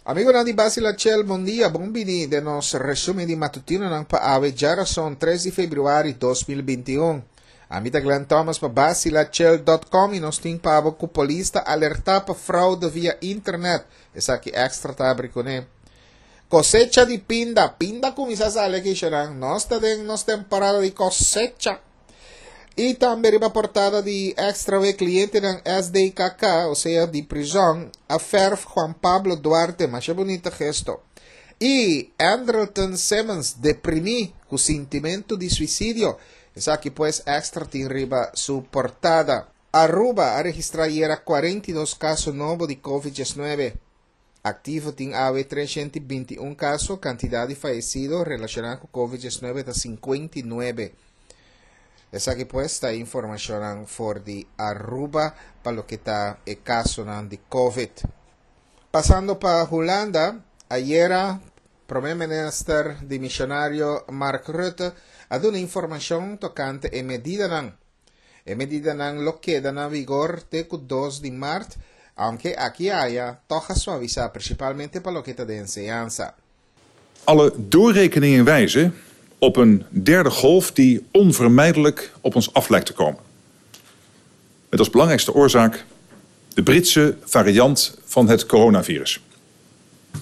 Amigonan di Basila Chel, bon dia, bon bini den nos resumen di matutinonan pa awe djarason 3 di februari 2021. Ami ta Glenn Thomas pa basilachel.com y nos tin pa bo cu polis ta alerta pa fraude via internet. Esaki extra ta abri cune. Cosecha di pinda, pinda cuminsa sali aki shonan. Nos ta den nos temporada di cosecha. Y tambe riba portada di Extra we clientenan SDKK, o sea di prison, a ferf Juan Pablo Duarte, masha bunita gesto. Y Andrelton Simmons deprimi cu sintimento di suicidio. Esaki pues Extra tin riba su portada. Aruba a registra ayera 42 caso nobo di Covid 19. Activo tin awe 321 caso, cantidad di fayecido relaciona cu Covid 19 ta 59. Esaki pues ta informacionnan for di Aruba pa loke ta e casonan di Covid. Pasando pa Hulanda, ayera Prome Minister dimisionario Mark Rutte a duna informacion tocante e medidanan. E medidanan lo keda na vigor te cu 2 di maart, aunke aki aya toch a suavisa, principalmente pa loke ta den enseñansa. Alle doorrekeningen wijzen op een derde golf die onvermijdelijk op ons af lijkt te komen. Met als belangrijkste oorzaak de Britse variant van het coronavirus.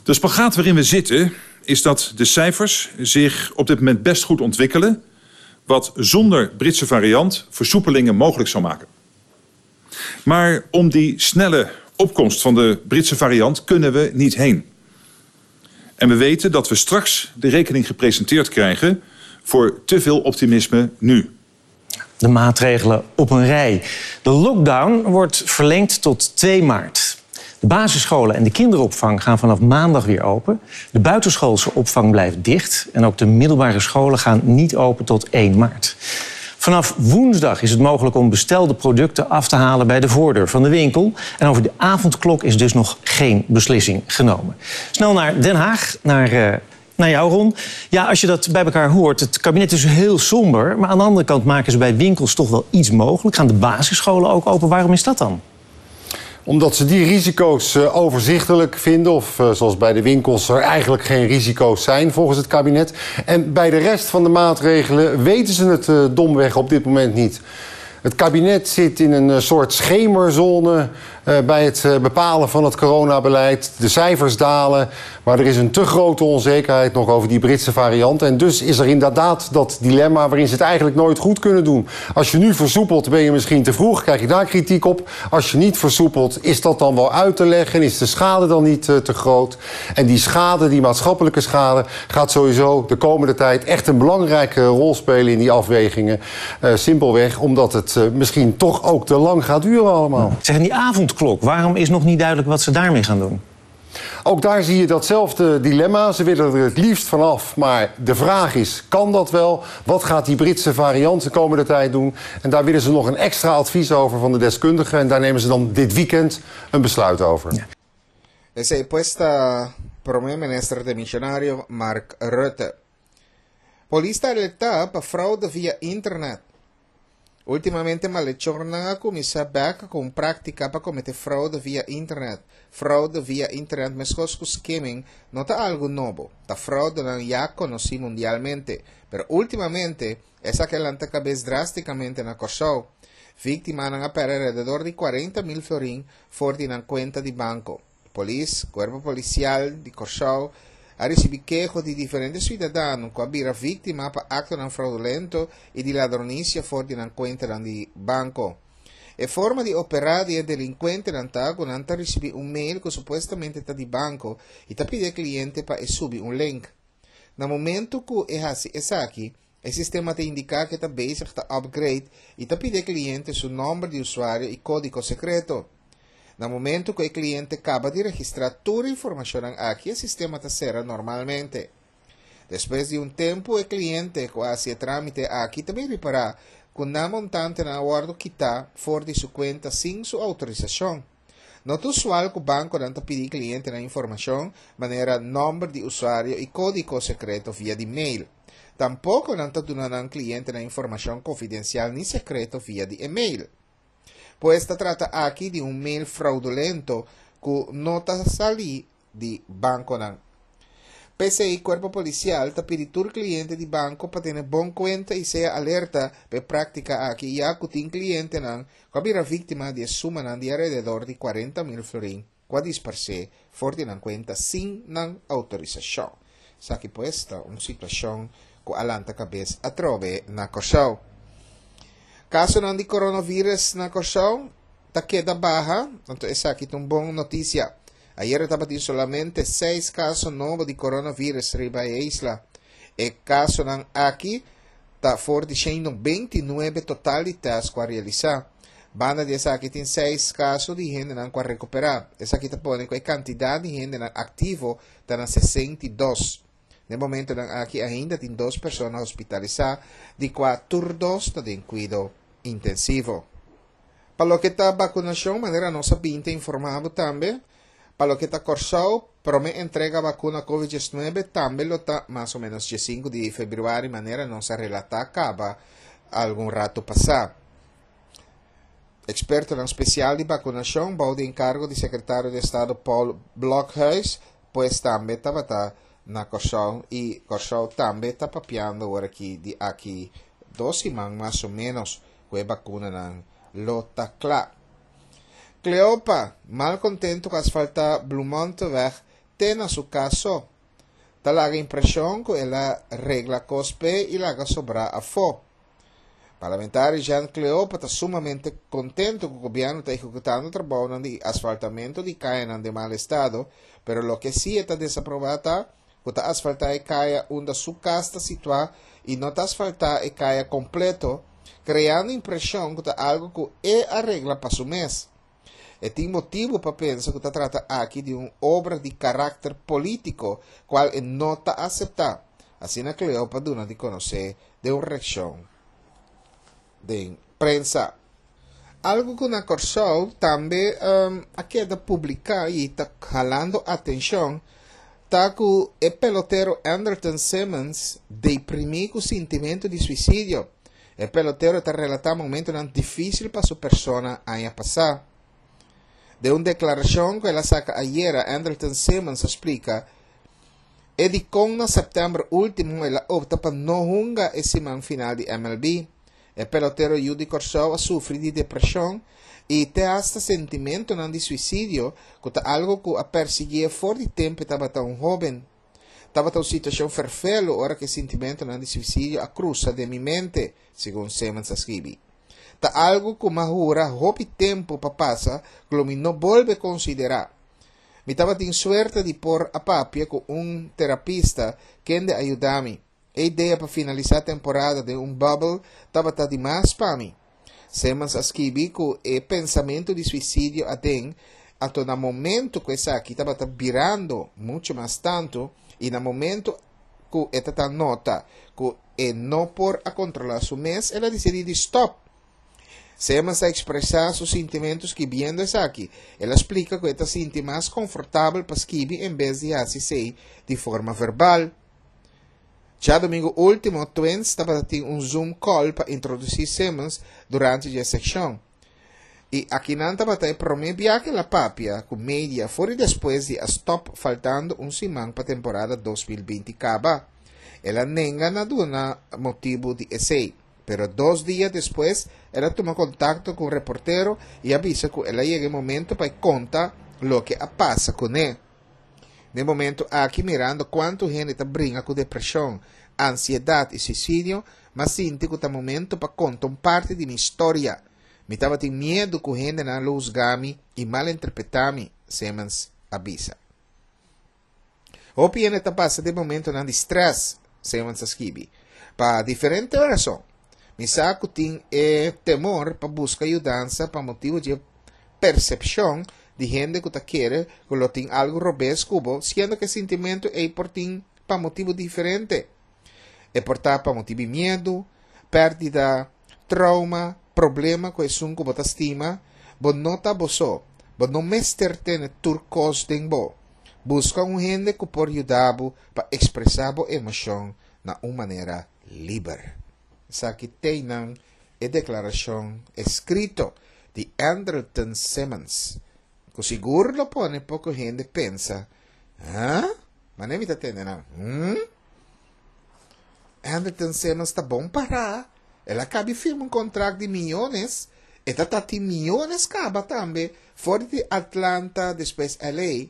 De spagaat waarin we zitten is dat de cijfers zich op dit moment best goed ontwikkelen, wat zonder Britse variant versoepelingen mogelijk zou maken. Maar om die snelle opkomst van de Britse variant kunnen we niet heen. En we weten dat we straks de rekening gepresenteerd krijgen voor te veel optimisme nu. De maatregelen op een rij. De lockdown wordt verlengd tot 2 maart. De basisscholen en de kinderopvang gaan vanaf maandag weer open. De buitenschoolse opvang blijft dicht. En ook de middelbare scholen gaan niet open tot 1 maart. Vanaf woensdag is het mogelijk om bestelde producten af te halen bij de voordeur van de winkel. En over de avondklok is dus nog geen beslissing genomen. Snel naar Den Haag, naar jou, Ron. Ja, als je dat bij elkaar hoort, het kabinet is heel somber. Maar aan de andere kant maken ze bij winkels toch wel iets mogelijk. Gaan de basisscholen ook open? Waarom is dat dan? Omdat ze die risico's overzichtelijk vinden. Of zoals bij de winkels er eigenlijk geen risico's zijn volgens het kabinet. En bij de rest van de maatregelen weten ze het domweg op dit moment niet. Het kabinet zit in een soort schemerzone bij het bepalen van het coronabeleid. De cijfers dalen, maar er is een te grote onzekerheid nog over die Britse variant. En dus is er inderdaad dat dilemma waarin ze het eigenlijk nooit goed kunnen doen. Als je nu versoepelt, ben je misschien te vroeg, krijg je daar kritiek op. Als je niet versoepelt, is dat dan wel uit te leggen? Is de schade dan niet te groot? En die schade, die maatschappelijke schade, gaat sowieso de komende tijd echt een belangrijke rol spelen in die afwegingen. Simpelweg omdat het misschien toch ook te lang gaat duren allemaal. Zeg, en die avondklok, waarom is nog niet duidelijk wat ze daarmee gaan doen? Ook daar zie je datzelfde dilemma. Ze willen er het liefst vanaf, maar de vraag is, kan dat wel? Wat gaat die Britse variant de komende tijd doen? En daar willen ze nog een extra advies over van de deskundigen. En daar nemen ze dan dit weekend een besluit over. Ja. Esei pues ta Prome Minister demisionario Mark Rutte. Polis ta alerta pa fraude via internet. Últimamente malechornan a kuminsá bèk ku un práktika pa kometé fraude via internet. Fraude via internet meskos ku skimming no ta algu nobo, ta fraudenan ya konosí mundialmente, pero últimamente esaki a lanta kabes drástikamente na Kòrsou. Víktimanan a pèrdè alrededor di 40,000 florin for di nan kuenta di banko. Polis, Kuerpo Polisial di Kòrsou, a risibí keho di diferente suidadano ku a bira víktima pa aktonan fraudulento i di ladronisia for di nan kuentanan di banko. E forma di operá di e delinkuentenan ta ku nan ta risibí un mail ku supuestamente ta di banko i ta pidi e kliente pa e subi un link. Na momentu ku e hasi esaki, e sistema ta indiká ku e ta bezig ta upgrade i ta pidi e kliente su nòmber di usuario i kódigo sekreto. Na momentu ku e kliente kaba di registrá tur e informashonnan aki e sistema ta sera normalmente. Despues di un tempu e kliente ku a hasi e trámite aki ta bin ripará ku nan montantenan a wòrdu kitá for di su kuenta sin su outorisashon. No ta usual ku bankonan ta pidi klientenan informashon manera nòmber di usuario i kódigo sekreto via di mail. Tampoko nan ta duna nan klientenan informashon konfidensial ni sekreto via di e-mail. Pues ta trata aki di un mail fraudulento ku no ta salí. di bankonan. P'esei Kuerpo Polisial ta pidi tur kliente di banko pa tene bon kuenta i sea alerta pa e práktika aki ya ku tin klientenan ku a bira víktima di e sumanan di alrededor di 40.000 florin ku a disparsé for di nan kuenta sin nan outorisashon. Esaki pues ta un situashon ku a lanta kabes atrobe na Kòrsou. Kasonan di coronavirus na Kòrsou ta keda baha, anto esaki ta un bon notisia. Ayera tabatin solamente seis kaso nobo di coronavirus riba e isla. E kasonan aki ta for di 199 total di tèst ku a realisá. Banda di esaki tin seis kaso di hendenan ku a rekuperá. Esaki ta pone ku e kantidat di hendenan aktivo ta na 62. Na e momentonan aki ainda tin dos persona hospitalisá, di kua tur dos ta den kuido intensivo. Pa loke ta bakunashon, manera nos a bin ta informá bo tambe, pa loke ta Kòrsou, promé entrega bakuna Covid 19 tambe lo ta mas o ménos 15 di febrüari, manera nos a relatá kaba algun ratu pasá. Ekspertonan spesial di bakunashon bou di enkargo di Sekretario di Estado Paul Blokhuis pues tambe tabata na Kòrsou i Kòrsou tambe ta papiando awor aki di aki dos siman mas o ménos ku e bakunanan lo ta kla. Cleopa, mal kontentu ku asfaltá Bloemonteweg te na su kas so. Ta laga impreshon ku el a regla kos p'e i laga sobrá afó. Parlamentario Jean Cleopa ta sumamente kontentu ku gobièrnu ta ehekutando trabounan di asfaltamentu di kayanan den mal estado, pero loke si e ta desaprobá ta ku ta asfaltá e kaya unda su kas ta situá i no ta asfaltá e kaya kompleto, kreando impreshon ku ta algu ku e a regla pa su mes. E tin motibu pa pensa ku ta trata aki di un obra di karakter polítiko kual e no ta aseptá, asina Cleopa duna di konosé den un reakshon den prensa. Algu ku na Kòrsou tambe a keda publiká i ta halando atenshon ta ku e pelotero Andrelton Simmons deprimí ku sintimentu di suisidio. E pelotero ta relatá momentunan difísil pa su persona aña pasá. Den un deklarashon ku el a saka ayera, Andrelton Simmons a splika e dikon na sèptèmber último el a opta pa no hunga e siman final di MLB. E pelotero yu di Kòrsou a sufri di depreshon i te asta sentimentunan di suisidio ku ta algu ku a persiguié for di tempu e tabata un hóben. Tabata un situashon ferfelu ora ku e sintimentunan di suisidio a krusa den mi mente, segun Simmons a skibi. Ta algu ku m'a hura hopi tempu pa pasa ku lo mi no bolbe konsiderá. Mi tabatin suerte di por a papia ku un terapista kende a yuda mi. E idea pa finalisá temporada den un bubble tabata di mas pa mi. Simmons a skibi ku e pensamentu di suisidio aden, anto na momentu ku esaki tabata birando muchu mas tantu i na momentu ku e ta nota ku e no por a kontrolá su mes, el a disidí di stòp. Simmons a ekspresá su sintimentu skibiendo esaki. El a splika ku e ta sinti mas konfortabel pa skibi en bes di hasi esei di forma verbal. Djadumingu último, Twins tabata tin un Zoom call pa introdusí Simmons durante dje sekshon. I akinan tabata e promé bia ku el a papia ku media for di despues di a stòp faltando un siman pa temporada 2020 kaba. El a nenga na duna motibu di esei, pero dos dia despues el a tuma kontakto ku un reportero i a bisa ku el a yega e momento pa e konta loke a pasa kuné. Na e momento aki mirando kuantu hende ta bringa ku depreshon, ansiedat i suisidio, m'a sinti ku ta momento pa konta un parti di mi storia. Mi tabatin miedu ku hendenan lo husga mi i malinterpretá mi, Simmons a bisa. Hopi hende ta pasa den momentonan di strès, Simmons a skibi, pa diferente rason. Mi sa ku tin e temor pa buska yudansa pa motibu dje persepshon di hende ku ta kere ku lo tin algu robes ku bo, siendo ku e sintimentu ei por tin pa motibu diferente. E por ta pa motibu di miedu, pèrdida, trouma, problema ku esun ku bo ta stima. Bo no ta bo so. Bo no mester tene tur kos den bo. Buska un hende ku por yuda bo pa ekspresá bo emoshon na un manera liber. Esaki teinan e deklarashon eskrito di Andrelton Simmons, ku sigur lo pone poko hende pensa. Huh? Mane mi ta tende nan, hmm? Andrelton Simmons ta bon pará. El a kabi firma un kontrakt di miyones. E ta ta tin miyones kaba tambe for di Atlanta despues LA.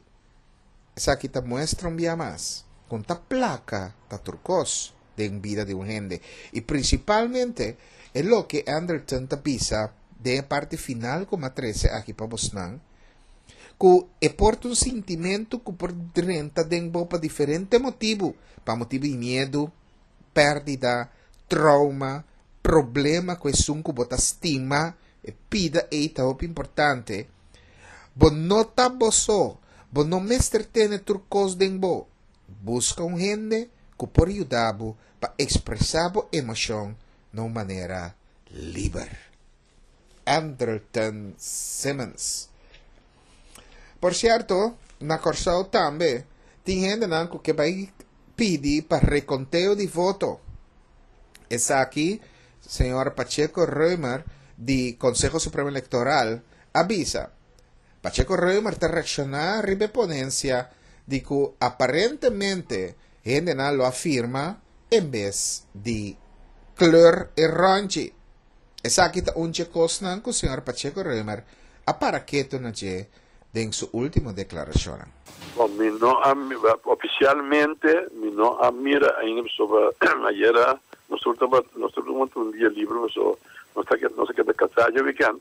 Esaki ta muestra un bia mas kon ta plaka ta tur kos den bida di un hende i prinsipalmente e loke Andrelton ta bisa den e parti final ku mi a trese aki pa bosnan ku e por ta un sintimentu ku por drenta den bo pa diferente motibu, pa motibu di miedu, pèrdida, trouma, problema ku esun ku bo ta stima, e pida ei ta hopi importante. Bo no ta bo so, bo no mester tene tur kos den bo. Buska un hende ku por yuda bo pa ekspresá bo emoshon na un manera liber. Andrelton Simmons. Por sierto, na Kòrsou tambe tin hendenan ku ke bai pidi pa rekonteo di voto. Esaki señor Pacheco Römer di Konseho Supremo Elektoral a bisa. Pacheco Römer ta reakshoná riba e ponensia di ku aparentemente hendenan lo a firma en bes di kleur e ròntji. Esaki ta un dje kosnan ku señor Pacheco Römer a para ketu na dje den su último deklarashonnan. Bon, mi no a, ofisialmente mi no a mira ainda pasobra ayera nos tur tabata, nos tur tabata un dia liber pasobra nos ta nos a keda kasá dje wikènt.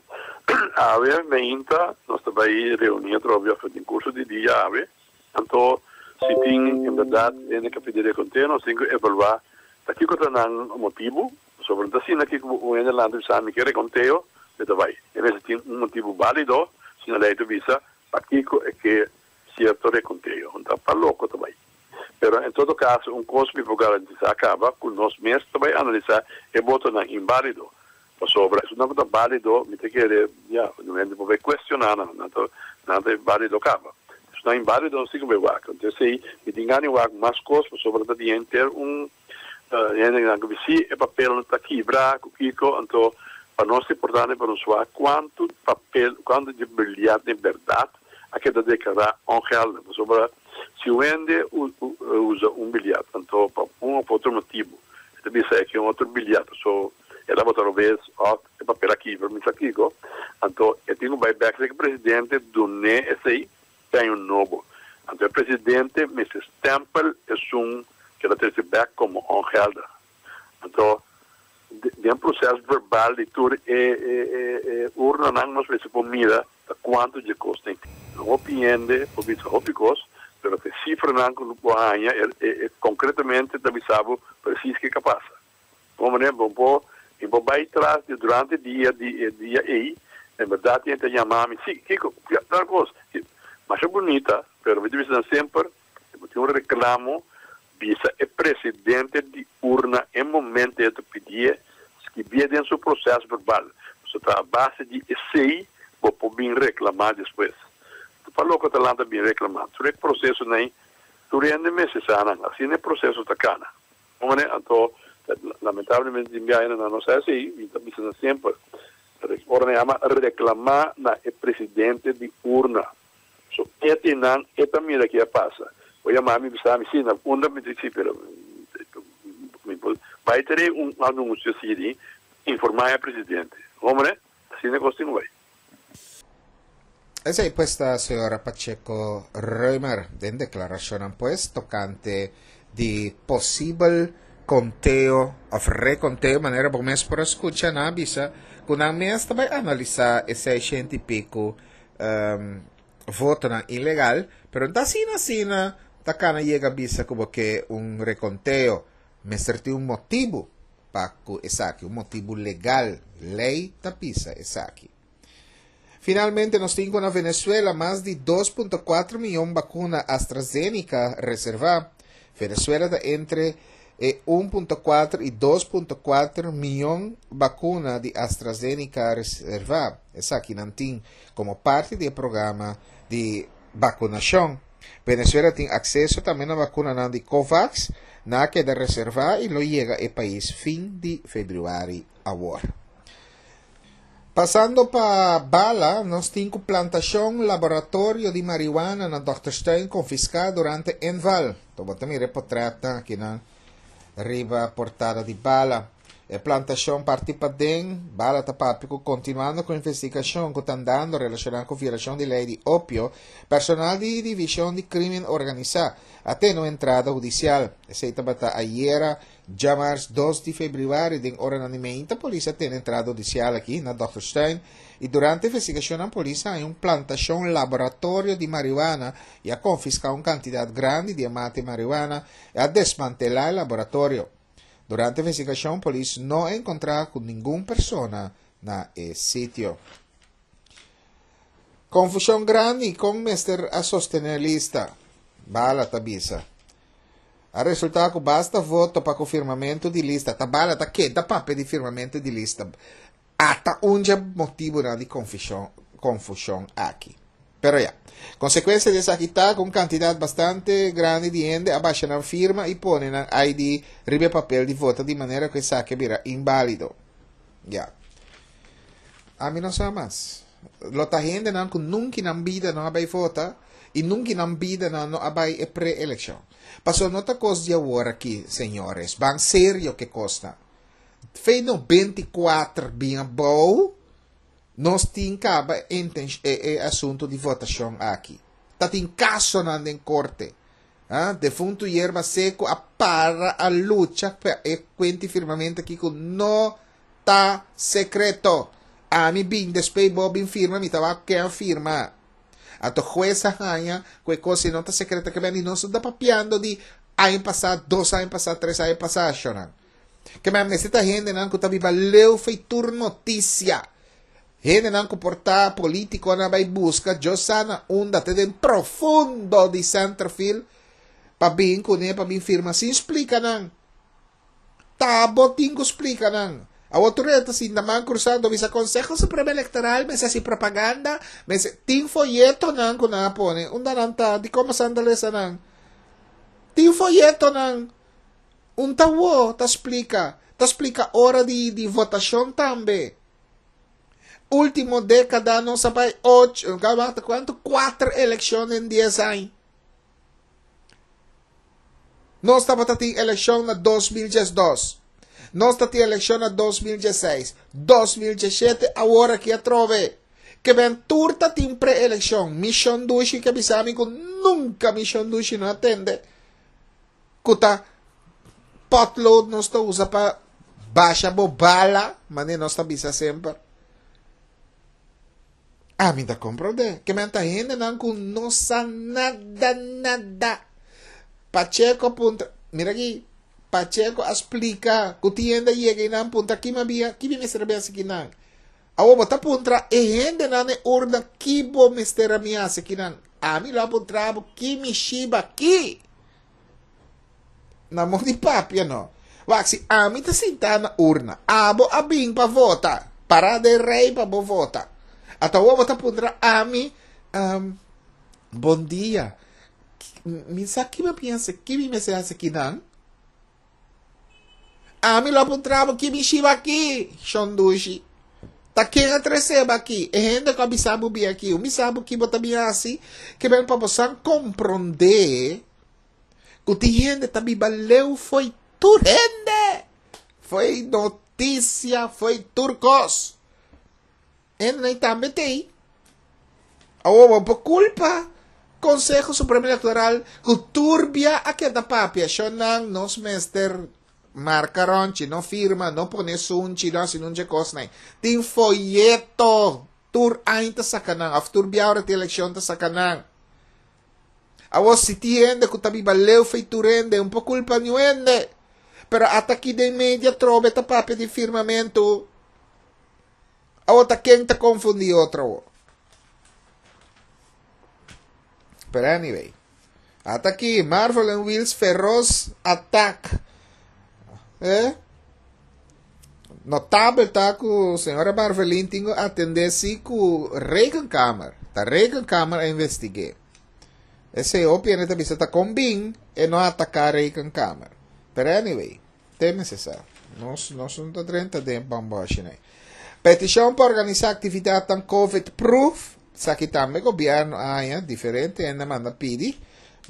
Awe meinta nos ta bai reuní atrobe òf den kurso di dia awe. Anto si tin en bèrdat hende ku a pidi rekonteo nos tin ku evaluá ta kiko ta nan motibu. Pasobra no ta asina ki ku un hende lanta bisa mi ke rekonteo, mi ta bai. E mester tin un motibu bálido, si no lei ta bisa pakiko e ke sierto rekonteo. No ta pa loko ta bai. Pero en todo kaso un kos mi por garantisá kaba ku nos mes ta bai analisá e botonan inbálido. Pasobra esunnan ku ta bálido mi ta kere ya un hende por bai kuestioná nan, nan ta nan ta bálido kaba. Esunnan inbálido nos tin ku bai wak. Entonces esei mi tin gana di wak mas kos pasobra ta tin henter un Hendenan ku si e papelnan ta kibra ku kiko, anto pa nos ta importante pa nos wak kuantu papel, kuantu dje bilyat den bèrdat a keda deklará ongeldig. Pasobra si un hende usa un bilyat, anto pa un òf otro motibu e ta bisa e ke un otro bilyat, paso e tabata robes òf e papel a kibra, mi sa kiko, anto e tin ku bai bèk serka e presidente dun'é esei Peño nobo. Anto e presidente mester stempel esun ke ta trece bek como ongeldig. Anto den proces verbal di tur e e urnanan nos mester por mira ta cuanto dje cos tin. Hopi hende por bisa hopi cos, pero ta e cifranan cu bo haña e concretamente ta bisa bo precies kico a pasa. Bon manera bo por mi por bai tras di durante dia di e dia ei en berdad tin ta yama mi si kiko tal kos masha bunita pero mi ta bisa nan semper si bo tin un reclamo bisa e presidente di urna e momento e ta pidie skibie den su proces verbal pasobra ta a base di esei bo por bin reclama despues pa loke ta lanta bin reclama tur e procesonan ei tur hende mester sa nan asina e proceso ta cana. Hombre, anto, lamentablemente tin biaha nan no sa esei, mi ta bisa nan semper, ora nan yama reclama na e presidente di urna, so e tin nan, e ta mira ke a pasa. Bo yama mi bisa mi, si, na unda mi di, si, pero mi por bai tere un anuncio asi di informa e presidente. Hombre, asina cos tin cu bai. Esei pues ta señora Pacheco Römer den declaracionnan pues tocante di posibel conteo of reconteo manera bo mes por a scucha nan a bisa cu nan mes ta bay analisa e seishent y pico votonan ilegal pero no ta asina asina ta cana yega bisa cu bo ke un reconteo mester tin un motibo pa ku esaki, un motibu legal, lei ta bisa esaki. Finalmente nos tin ku na Venezuela mas di 2.4 miyon bakuna AstraZeneca reservá. Venezuela ta entre e 1.4 i 2.4 miyon bakuna di AstraZeneca reservá. Esakinan tin komo parti di e programa di bakunashon. Venezuela tin akseso tambe na bakunanan di Covax, nan a keda reservá i lo yega e pais fin di febrüari awor. Pasando pa Bala, nos tin ku plantashon laboratorio di marihuana na Dokterstuin konfiská durante inval. To bo ta mira e potretnan akinan riba portada di Bala. E plantashon parti paden, Bala ta papia ku kontinuando ku investigashon ku ta andando relashoná ku violashon di lei di opio, personal di Divishon di Krimen Organisá a tene un entrada hudisial. Esei tabata ayera Djamars dos di febrüari den oranan di meinta polis a tene entrada hudisial aki na Dokterstuin i durante investigashonnan polis a haña un plantashon laboratorio di marihuana i a konfiská un kantidat grandi di e mata di marihuana i a desmantelá e laboratorio. Durante investigashon polis no a enkontrá ku ningun persona na e sitio. Konfushon grandi kon mester a sostené lista, Bala ta bisa. A resultá ku basta voto pa ku firmamentu di lista ta bala ta keda papia di firmamentu di lista. Ata un dje motibunan di konfushon konfushon aki. Pero ya. Konsekuensia di esaki ta ku un kantidat bastante grandi di hende a basha nan firma i pone nan ID riba e papel di vota di manera ku esaki a bira inbálido. Ya. Ami no sa mas. Lo ta hendenan ku nunki nan bida no a bai vota i nunki nan bida nan no a bai e pre-elekshon. Pasobra no ta kos di awor aki, señores. Ban serio ke kosnan. Fe 94 bin abou, nos tin kaba e, e asuntu di votashon aki. Ta tin kasonan den korte. Ah, defuntu Yerba Seco a para a lucha pa e kuenti firmamento aki ku no ta sekreto. Ami bin despey bo bin firma mi ta wak ken a firma. Anto hues a haña ku e kos si no ta sekreto ke men di nos no ta papiando di aña pasá, dos aña pasá, tres aña pasá shonnan. Ke men mester ta hendenan ku ta biba leu fei tur notisia. Hendenan ku por ta politikonan a bai buska Dios sa na unda te den profundo di Centerfield pa bin kuné pa bin firma sin splika nan. Ta bo tin ku splika nan. Awor tur e ta sinta man krusá anto bisa Konseho Supremo Elektoral mester hasi propaganda, mester tin foyetonan ku nan a pone. Unda nan ta? Dikon bo san ta lesa nan? Tin foyetonan. Un ta wo ta splika. Ta splika ora di di votashon tambe. Ultimo dékada nos a bai ocho, kuantu? Kuater elekshon den dies aña. Nos tabata tin elekshon na 2012. Nos ta tin elekshon na 2016, 2017, awor aki atrobe. Ke ben tur ta tin pre-elekshon. Mi shon dushi ke bisa mi ku nunka mi shon dushi no a tende ku ta potlood nos ta usa pa basha bo bala, manera nos ta bisa semper. Ami ta comprende. Ke men ta hendenan ku no sa nada nada. Pacheco a puntra, mira aki, Pacheco a splika ku tin hende a yega i nan puntra ki mi bia, ki mi mester a hasi kinan. Awor bo ta puntra e hendenan e urna ki bo mester a mi hasi kinan. Ami lo a puntra bo ki mi shiba ki. Na mon di papia no. Wak, si ami ta sintá na urna, abo a bin pa vota, pará den rei pa bo vota. Ata awor bo ta puntra ami, um, bon dia, mi sa ki mi piensa, ki mi mester hasi kinan? Ami lo a puntra bo ki mi shiba aki, shondushi. Ta ken a trese bo aki? E hende ku a bisa bo bin aki. Un bisa bo ki bo ta bin hasi, ke ben pa bo san komprondé ku tin hende ta biba leu fo'i tur hende, fo'i notisia, fo'i tur kos. Hendenan tambe t'ei. Awor bo por kulpa Konseho Supremo Elektoral ku tur bia a keda papia, shonnan nos mester marka ròntchi, no firma, no pone sunchi, no hasi nuncha kosnan. Tin foyeto tur aña ta saka nan òf tur bia ora tin elekshon ta saka nan. Awor si tin hende ku ta biba leu fei tur hende, un por kulpa niun hende. Pero ata aki den media trobe ta papia di firmamentu. Awor ta ken ta konfundí otro awor? Pero anyway. Ata aki, Marvel and Wheels feroz attack. Eh? Notabel ta ku señora Marvelin tin ku atendé si ku Rekenkamer. Ta Rekenkamer a investigué. Esei hopi hende ta bisa ta kon bin e no ataká Rekenkamer. Pero anyway. Te mester sa. Nos, nos no ta drenta den bamboshi nei. Petishon pa organisá aktividatnan Covid-proof, esaki tambe gobièrnu a haña diferente hende a manda pidi.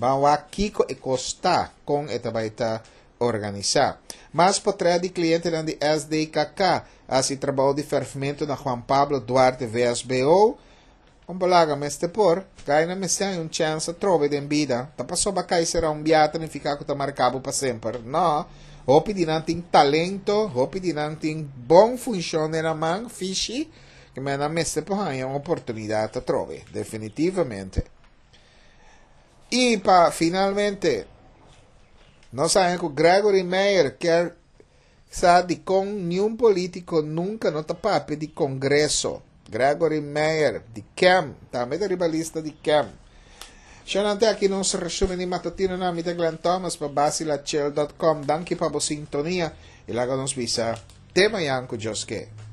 Ban wak kiko e kos ta, kon e ta bai ta organisá. Mas potrèt di klientenan di SDKK a hasi trabou di fèrfmentu na Juan Pablo Duarte VSBO. Un balaga mester por, Gaina mester haña un chèns atrobe den bida. Ta pasobra kai será un bia ta nifiká ku ta marká bo pa semper? Nò. Hopi di nan tin talento, hopi di nan tin bon funshon den nan man, fishi, ke men nan mester por haña un oportunidat atrobe, definitivamente. I pa finalmente, nos haña ku Gregory Meyer kier Sa dikon niun politiko nunka no ta papia di Kongreso. Gregory Meyer, di kem, tambe ta riba lista di kem. Shonnan te aki nos resumen di matutino na mi ta Glenn Thomas pa basilachel dot com. Danki pa bo sintonia y laga nos bisa te mañan ku Dios ke.